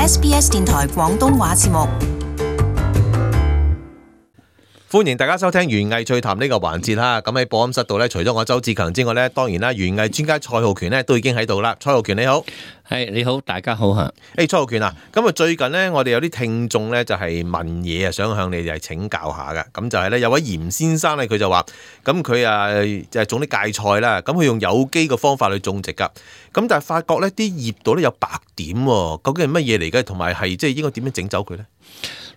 SBS 電台廣東話節目。歡迎大家收聽園藝趣談呢個環節啦。咁喺播音室度咧，除咗我周志強之外咧，當然啦，園藝專家蔡浩權咧都已經喺度啦。蔡浩權你好。係你好，大家好吓。蔡浩權啊，咁啊最近咧，我哋有啲聽眾咧就係問嘢啊，想向你哋請教下噶。咁就係咧，有位嚴先生咧，佢就話，咁佢啊就係種啲芥菜啦，咁佢用有機嘅方法去種植噶。咁但係發覺咧啲葉度咧有白點喎，究竟係乜嘢嚟嘅？同埋係即係應該點樣整走佢咧？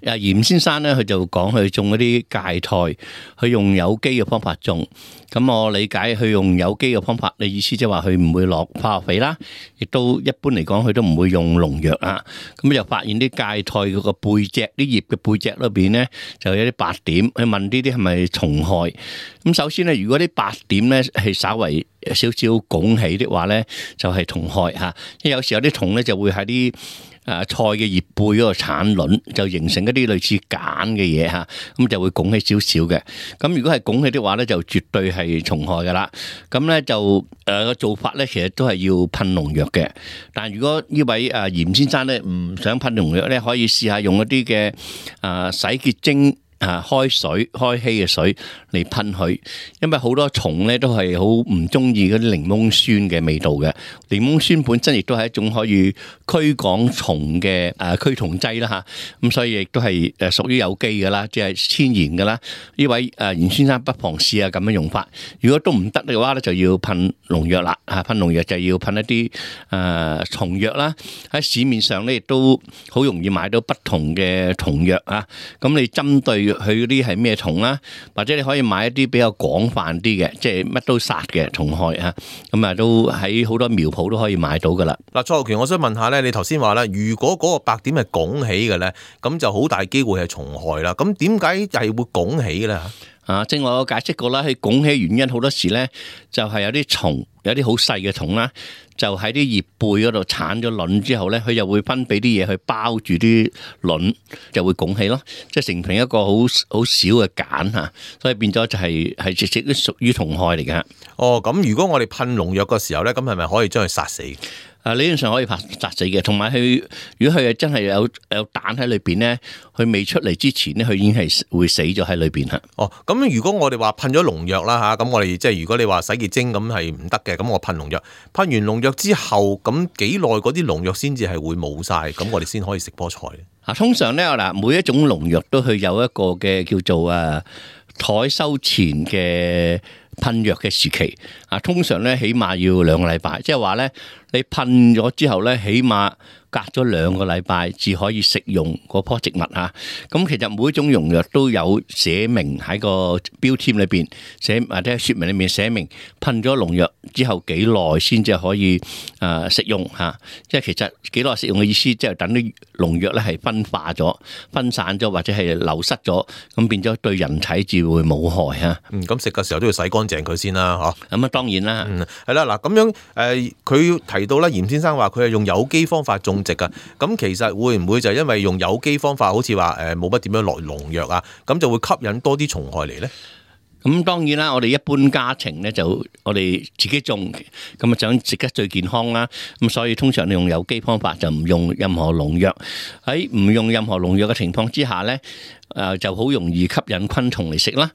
嚴先生咧，佢就講佢種嗰啲芥菜，佢用有機嘅方法種。咁我理解佢用有機嘅方法，你意思即係話佢唔會落化學肥啦，亦都一般嚟講佢都唔會用農藥啊。咁就發現啲芥菜嗰個背脊，啲葉嘅背脊裏邊咧就有啲白點。佢問呢啲係咪蟲害？咁首先咧，如果啲白點咧係稍為少少拱起的話咧，就係蟲害嚇。因為有時有啲蟲咧就會喺啲菜嘅葉背嗰個產卵，就形成一啲類似繭嘅嘢嚇，咁就會拱起少少嘅。咁如果係拱起的話咧，就絕對係蟲害噶啦。咁咧就個做法咧，其實都係要噴農藥嘅。但如果呢位嚴先生咧唔想噴農藥咧，可以試下用一啲嘅洗潔精。開水開稀嘅水嚟噴佢，因為好多蟲咧都係好唔中意嗰啲檸檬酸嘅味道嘅。檸檬酸本身亦都係一種可以驅趕蟲嘅驅蟲劑啦吓，咁所以亦都係屬於有機嘅啦，即係天然嘅啦。呢位嚴先生不妨試下咁樣用法。如果都唔得嘅話咧，就要噴農藥啦。噴農藥就要噴一啲蟲藥啦。喺市面上咧亦都好容易買到不同嘅蟲藥啊。咁你針對佢嗰啲係咩蟲啦，或者你可以買一啲比較廣泛啲嘅，即係乜都殺嘅蟲害啊，咁啊都喺好多苗圃都可以買到噶啦。嗱，蔡浩權，我想問下咧，你頭先話咧，如果嗰個白點係拱起嘅咧，咁就好大機會係蟲害啦。咁點解係會拱起嘅咧？正話我解釋過啦，佢拱起原因好多時咧，就係有啲蟲，有啲好細嘅蟲啦，就喺啲葉背嗰度產咗卵之後咧，佢就會分泌啲嘢去包住啲卵，就會拱起咯，即係成成一個好少嘅繭嚇，所以變咗就係直接都屬於蟲害嚟嘅。哦，咁如果我哋噴農藥嘅時候咧，咁係咪可以將佢殺死？理論上可以殺死嘅，同埋佢如果佢真係有蛋喺裏邊咧，佢未出嚟之前咧，佢已經係會死咗喺裏邊嚇。哦，咁如果我哋話噴咗農藥啦嚇，咁我哋即係如果你話洗潔精咁係唔得嘅，咁我噴農藥，噴完農藥之後，咁幾耐嗰啲農藥先至係會冇晒，咁我哋先可以食菠菜咧？通常咧嗱，每一種農藥都係有一個嘅叫做採收前嘅噴藥嘅時期，通常咧起碼要2個禮拜，即係話咧你噴咗之後咧，起碼隔咗2個禮拜至可以食用嗰棵植物嚇。咁其實每一種農藥都有寫明喺個標籤裏邊寫，或者説明裏面寫明噴咗農藥之後幾耐先至可以食用嚇。即係其實幾耐食用嘅意思，即係等啲農藥咧係分化咗、分散咗或者係流失咗，咁變咗對人體至會冇害嚇。咁食嘅時候都要洗乾淨佢先啦，嚇。咁當然啦。係啦，嗱咁樣佢提到咧，嚴先生話佢係用有機方法種植噶，咁其實會唔會就係因為用有機方法，好似話冇乜點樣落農藥啊，咁就會吸引多啲蟲害嚟咧？咁當然啦，我哋一般家庭咧就我哋自己種，咁啊想食得最健康啦。咁所以通常你用有機方法就唔用任何農藥。喺唔用任何農藥嘅情況之下咧，就好容易吸引昆蟲嚟食啦。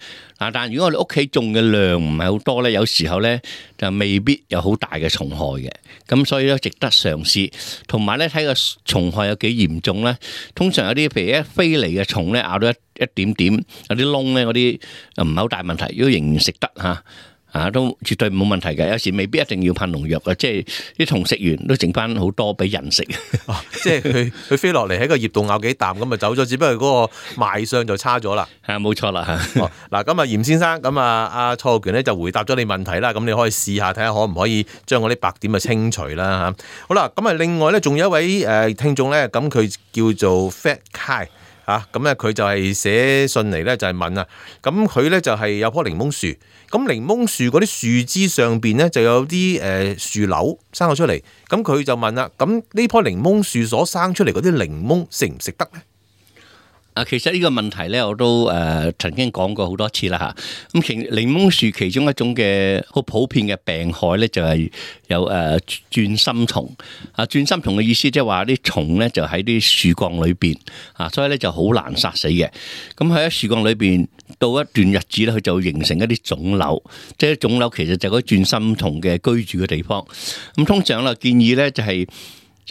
但如果我哋屋企種嘅量唔係好多咧，有時候咧就未必有好大嘅蟲害嘅。咁所以咧值得嘗試。同埋咧睇個蟲害有幾嚴重咧，通常有啲譬如一飛嚟嘅蟲咧咬到一點點，有啲窿咧嗰啲唔係好大問題，如果仍然食得都絕對冇問題嘅。有時未必一定要噴農藥嘅，即係啲蟲食完都剩翻好多俾人食。即係佢飛落嚟喺個葉度咬幾啖咁就走咗，只不過嗰個賣相就差咗啦。冇錯啦。嗱，咁嚴先生，咁阿蔡浩權咧就回答咗你問題啦。咁你可以試下睇下可唔可以將嗰啲白點清除啦嚇。好啦，咁另外咧仲有一位聽眾咧，咁佢叫做 Fat Kai。咁咧佢就係寫信嚟咧，就係問啊，咁佢咧就係有棵檸檬樹，咁檸檬樹嗰啲樹枝上邊咧就有啲樹瘤生咗出嚟，咁佢就問啦，咁呢棵檸檬樹所生出嚟嗰啲檸檬食唔食得咧？其實呢個問題咧，我都曾經講過好多次啦嚇。咁其檸檬樹其中一種嘅好普遍嘅病害咧，就係有鑽心蟲。鑽心蟲嘅意思即係話啲蟲咧就喺啲樹幹裏邊所以咧就好難殺死嘅。咁喺樹幹裏邊到一段日子咧，佢就會形成一啲腫瘤。即係腫瘤其實就係嗰鑽心蟲嘅居住嘅地方。咁通常啦，建議咧就係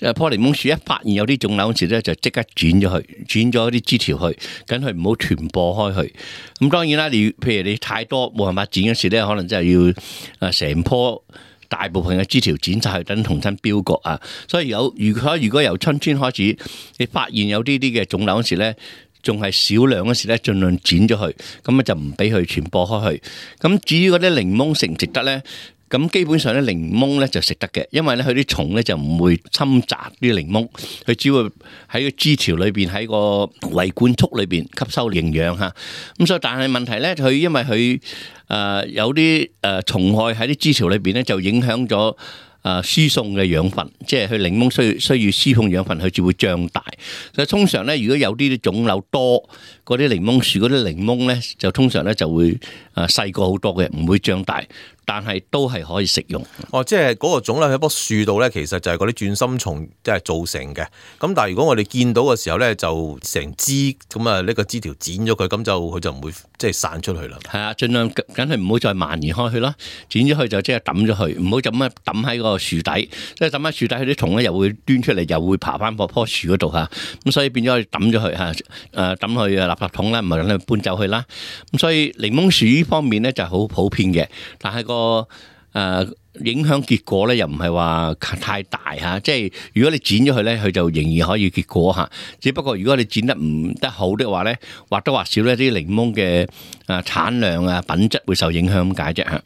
棵檸檬樹一發現有啲腫瘤嗰時咧，就即刻剪咗佢，剪咗啲枝條去，等佢唔好傳播開去。咁當然啦，譬如你太多冇辦法剪嗰時咧，可能真係要成棵大部分嘅枝條剪晒去，等重新標割啊。所以如果由春天開始，你發現有啲嘅腫瘤嗰時咧，仲係少量嗰時咧，盡量剪咗佢，咁啊就唔俾佢傳播開去。咁至於嗰啲檸檬值唔值得咧？咁基本上咧，檸檬咧就食得嘅，因為咧佢啲蟲咧就唔會侵襲啲檸檬，佢只會喺個枝條裏邊，喺個維管束裏邊吸收營養嚇。咁所以但係問題咧，佢因為佢有啲蟲害喺啲枝條裏邊咧，就影響咗輸送嘅養分，即係佢檸檬需要輸送養分，佢就會脹大。所以通常咧，如果有啲腫瘤多，嗰啲檸檬樹嗰啲檸檬咧，就通常咧就會細個好多嘅，唔會脹大。但係都係可以食用。即係嗰個腫瘤喺棵樹度咧，其實就係嗰啲鑽心蟲即係造成嘅。咁但係如果我哋見到嘅時候咧，就成枝咁啊，呢個枝條剪咗佢，咁佢就唔會即係散出去啦。係啊，盡量梗係唔好再蔓延開去啦。剪咗佢就即係抌咗佢，唔好就咁樣抌喺個樹底。即係抌喺樹底，佢啲蟲咧又會端出嚟，又會爬翻棵樹嗰度嚇。咁所以變咗抌咗佢嚇，抌去垃圾桶啦，唔係等佢搬走去啦。咁所以檸檬樹呢方面咧就係好普遍嘅，但係影響結果咧又唔係話太大嚇，即係如果你剪咗佢咧，佢就仍然可以結果嚇。只不過如果你剪得唔得好的話咧，或多或少咧啲檸檬嘅產量品質會受影響咁解啫嚇。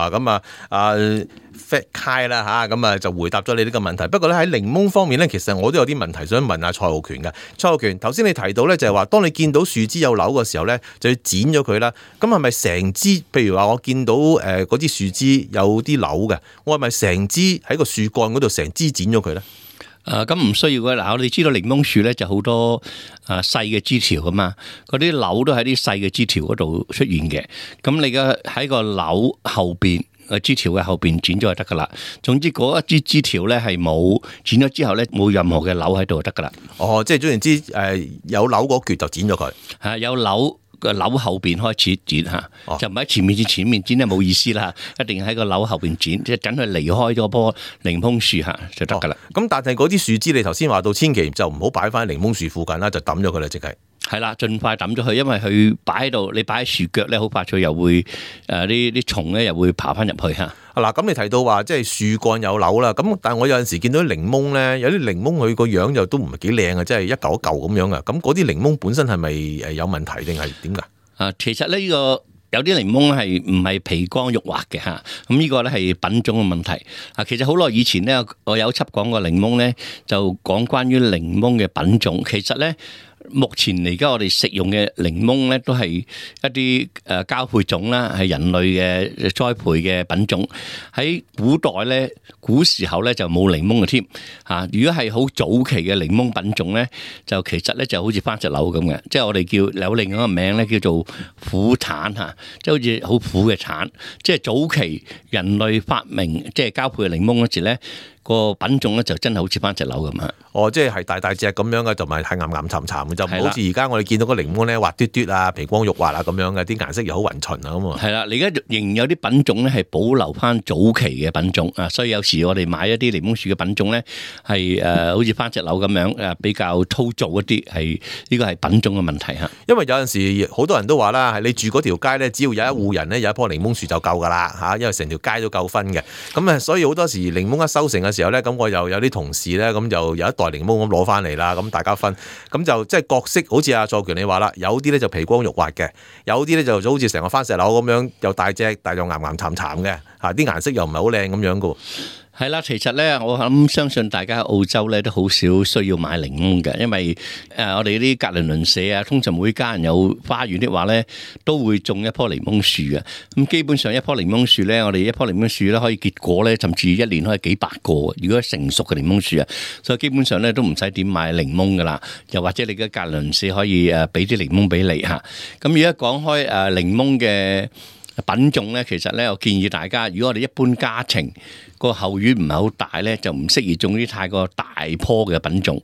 咁Fat Kai 啦嚇，咁就回答咗你呢個問題。不過咧喺檸檬方面咧，其實我都有啲問題想問下蔡浩權嘅。蔡浩權，頭先你提到咧就係話，當你見到樹枝有瘤嘅時候咧，就要剪咗佢啦。咁係咪成枝？譬如話我見到嗰啲樹枝有啲瘤嘅，我係咪成枝喺個樹幹嗰度成枝剪咗佢咧？咁唔需要嘅。嗱，我哋知道檸檬樹咧就好多細嘅枝條噶嘛，嗰啲瘤都喺啲細嘅枝條嗰度出現嘅。咁你嘅喺個瘤後邊枝條嘅後邊剪咗就得噶啦。總之嗰一支枝條咧係冇剪咗之後咧冇任何嘅瘤喺度就得噶啦。即係總言之，有瘤嗰橛就剪咗佢。有瘤個瘤後邊開始剪嚇，就唔喺前面剪咧冇意思啦。一定喺個瘤後邊剪，即係等佢離開咗棵檸檬樹嚇就得噶啦。咁但係嗰啲樹枝你頭先話到，千祈就唔好擺翻喺檸檬樹附近啦，就抌咗佢啦，即係。係啦，盡快抌咗佢，因為佢擺喺度，你擺喺樹腳咧，好快脆又會啲蟲咧又會爬翻入去嚇。咁你提到話即係樹幹有瘤啦，咁但係我有陣時見到啲檸檬咧，有啲檸檬佢個樣又都唔係幾靚啊，即係一嚿一嚿咁樣啊。咁嗰啲檸檬本身係咪有問題定係點㗎？其實呢個有啲檸檬係唔係皮光肉滑嘅嚇，咁呢個咧係品種嘅問題。其實好耐以前咧，我有輯講過檸檬咧，就講關於檸檬嘅品種。其實咧，目前而家我哋食用嘅檸檬咧，都係一啲交配種啦，係人類嘅栽培嘅品種。喺古代咧，古時候咧就冇檸檬嘅添嚇。如果係好早期嘅檸檬品種咧，就其實咧就好似番石榴咁嘅，即係我哋叫有另一個名咧叫做苦橙嚇，即係好似好苦嘅橙。即係早期人類發明即係交配嘅檸檬嗰時咧，個品種咧就真係好似番石榴咁啊！即係大大隻咁樣嘅，同埋係岩岩沉沉嘅，就唔好似而家我哋見到個檸檬咧滑嘟嘟啊、皮光肉滑啊咁樣嘅，啲顏色又好勻循啊咁啊！係啦，你而家仍然有啲品種咧係保留翻早期嘅品種啊，所以有時我哋買一啲檸檬樹嘅品種咧係好似番石榴咁樣比較粗糙一啲，呢個係品種嘅問題嚇。因為有陣時好多人都話啦，係你住嗰條街咧，只要有一戶人咧有一棵檸檬樹就夠㗎啦嚇，因為成條街都夠分嘅。咁所以好多時檸檬一收成嘅時候咧，咁我又有啲同事咧，咁就有一袋檸檬咁攞翻嚟啦，咁大家分，咁就即係各色，好似阿蔡權你話啦，有啲咧就皮光肉滑嘅，有啲咧就好似成個番石榴咁樣，又大隻，但又岩岩沉沉嘅，啲顏色又唔係好靚咁樣噶。係啦，其實咧，我諗相信大家喺澳洲咧都好少需要買檸檬嘅，因為我哋啲隔鄰鄰舍啊，通常每家人有花園的話咧，都會種一棵檸檬樹嘅。咁基本上一棵檸檬樹咧，我哋一棵檸檬樹咧可以結果咧，甚至一年可以幾百個。如果成熟嘅檸檬樹啊，所以基本上咧都唔使點買檸檬噶啦。又或者你嘅隔鄰鄰舍可以俾啲檸檬俾你嚇。咁而家講開檸檬嘅品種咧，其實咧我建議大家，如果我哋一般家庭個後院唔係好大咧，就唔適宜種啲太過大棵嘅品種。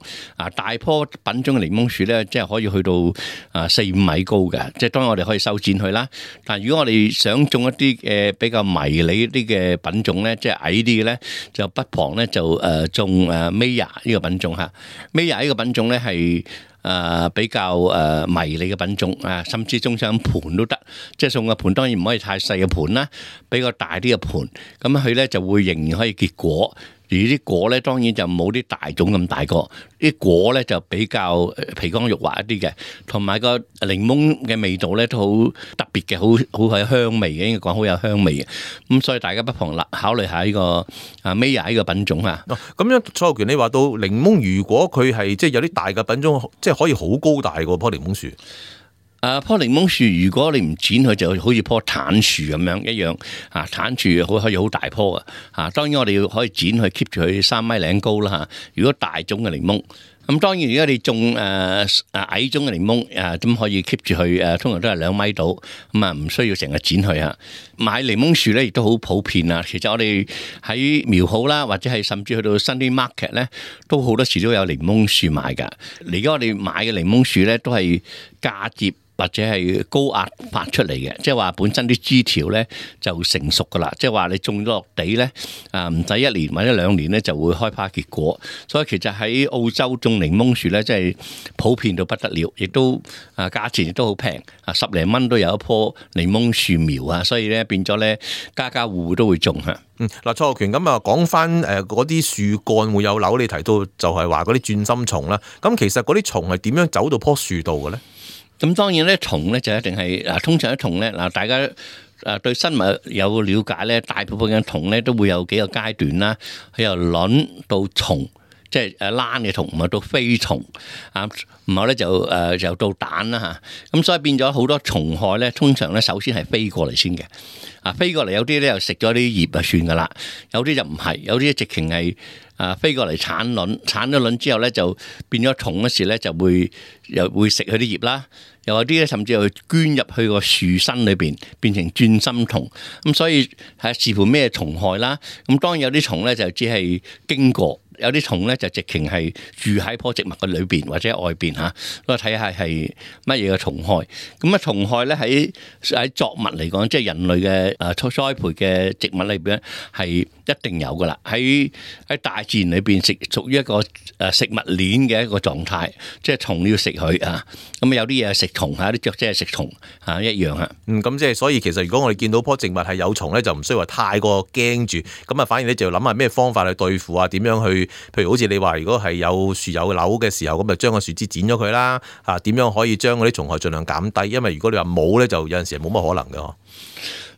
大棵品種嘅檸檬樹咧，即係可以去到4-5米高嘅，即係當然我哋可以修剪佢啦。但係如果我哋想種一啲比較迷你啲嘅品種咧，即係矮啲嘅咧，就不妨咧就種Maya 呢個品種嚇。Maya 呢個品種咧係比較迷你嘅品種啊，甚至種上盤都得，即係種個盤當然唔可以太細嘅盤啦，比較大啲嘅盤，咁佢咧就會仍然可以結果。而啲果咧當然就冇啲大種咁大個，啲果咧就比較皮光肉滑一啲嘅，同埋個檸檬嘅味道咧都好特別嘅，好有香味嘅，應該講好有香味嘅。咁所以大家不妨考慮下呢個Maya 呢個品種啊。咁樣蔡浩權，你話到檸檬，如果佢係即係有啲大嘅品種，即係可以好高大個棵檸檬樹。棵檸檬樹如果你唔剪佢，就好似棵橙樹咁樣一樣嚇，橙樹可以好大棵嘅嚇。當然我哋可以剪佢 keep 住佢3米零高啦嚇。如果大種嘅檸檬，咁當然如果你種矮種嘅檸檬咁可以 keep 住佢通常都係2米度，咁唔需要成日剪佢嚇。買檸檬樹咧亦都好普遍啊。其實我哋喺苗好啦，或者係甚至去到新啲 market 咧，都好多時都有檸檬樹賣㗎。而家我哋買嘅檸檬樹咧都係嫁接或者係高壓發出嚟嘅，即係話本身啲枝條咧就成熟噶啦，即係話你種咗落地咧唔使1年或者2年咧就會開花結果。所以其實喺澳洲種檸檬樹咧，真係普遍到不得了，亦都價錢亦都好平，10零蚊都有一棵檸檬樹苗啊，所以咧變咗咧家家戶戶都會種嚇。嗱，蔡浩權咁啊，講翻嗰啲樹幹會有瘤，你提到就係話嗰啲轉心蟲啦。咁其實嗰啲蟲係點樣走到棵樹度嘅咧？咁當然咧，蟲咧就一定係通常啲蟲咧大家對生物有了解咧，大部分嘅蟲咧都會有幾個階段啦，佢由卵到蟲，即係躝嘅蟲，唔係到飛蟲啊，然後咧就到蛋啦嚇。咁所以變咗好多蟲害咧，通常咧首先係飛過嚟先嘅。飛過嚟有啲咧又食咗啲葉就算噶啦，有啲就唔係，有啲直情係飛過嚟產卵，產咗卵之後咧就變咗蟲嗰時咧就又會食佢啲葉啦，又有啲咧甚至又捐入去個樹身裏邊變成轉心蟲。咁所以係視乎咩蟲害啦。咁當然有啲蟲咧就只係經過。有啲蟲咧就直情係住喺棵植物嘅裏邊或者外邊嚇，咁睇下係乜嘢嘅蟲害。咁蟲害咧喺作物嚟講，即係人類嘅栽培嘅植物裏邊係一定有噶啦。喺大自然裏邊屬於一個食物鏈嘅一個狀態，即係蟲要食佢啊。咁有啲嘢食蟲嚇，啲雀仔係食蟲嚇一樣嚇。咁即係所以其實如果我哋見到棵植物係有蟲咧，就唔需要話太過驚住。咁反而咧就要諗下咩方法去對付啊，點樣去？譬如好似你話，如果係有樹有瘤嘅時候，咁就將個樹枝剪咗佢啦。點樣可以將嗰啲蟲害盡量減低？因為如果你話冇咧，就有陣時係冇乜可能嘅。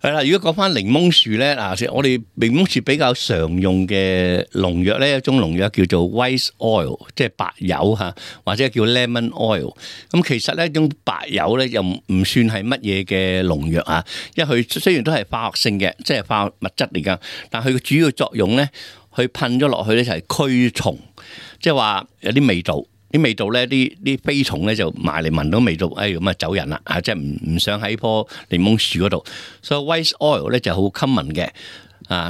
係啦，如果講翻檸檬樹咧，我哋檸檬樹比較常用嘅農藥咧，一種農藥叫做 white oil， 即係白油嚇，或者叫 lemon oil。咁其實呢一種白油咧又唔算係乜嘢嘅農藥啊，因為佢雖然都係化學性嘅，即係化學物質嚟㗎，但係佢嘅主要作用咧，佢噴咗落去咧就係驅蟲，即係話有啲味道。啲味道咧，啲飛蟲咧就埋嚟聞到味道，咁啊走人啦，即係唔想喺棵檸檬樹嗰度。所以 white oil 咧就好 common 嘅，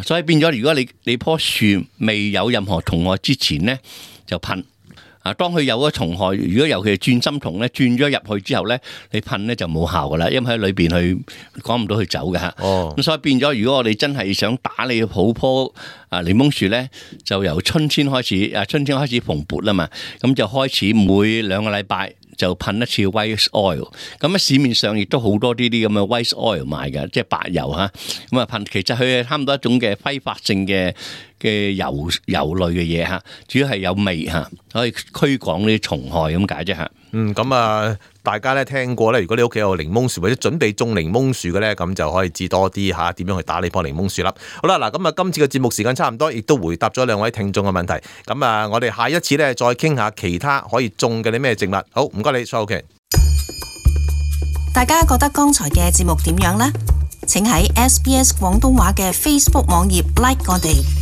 所以變咗如果你棵樹未有任何蟲害之前咧，就噴。當佢有咗蟲害，如果尤其係轉心蟲咧，轉咗入去之後咧，你噴咧就冇效噶啦，因為喺裏邊佢趕唔到佢走嘅嚇。咁所以變咗，如果我哋真係想打理好棵檸檬樹咧，就由春天開始，春天開始蓬勃啦嘛，咁就開始每2個禮拜就噴一次 white oil。咁市面上亦都好多呢啲咁嘅 white oil 賣嘅，即係白油嚇。咁啊噴，其實佢係差唔多一種嘅揮發性嘅嘅油類嘅嘢嚇，主要係有味嚇，可以驅趕呢啲蟲害咁解啫嚇。咁啊，大家咧聽過咧，如果你屋企有檸檬樹或者準備種檸檬樹嘅咧，咁就可以知多啲嚇點樣去打呢棵檸檬樹啦。好啦，嗱咁啊，今次嘅節目時間差唔多，亦都回答咗兩位聽眾嘅問題。咁啊，我哋下一次咧再傾下其他可以種嘅啲咩植物。好，唔該你，蔡浩權。大家覺得剛才嘅節目點樣呢？請喺SBS 廣東話嘅 Facebook 網頁 like 我哋。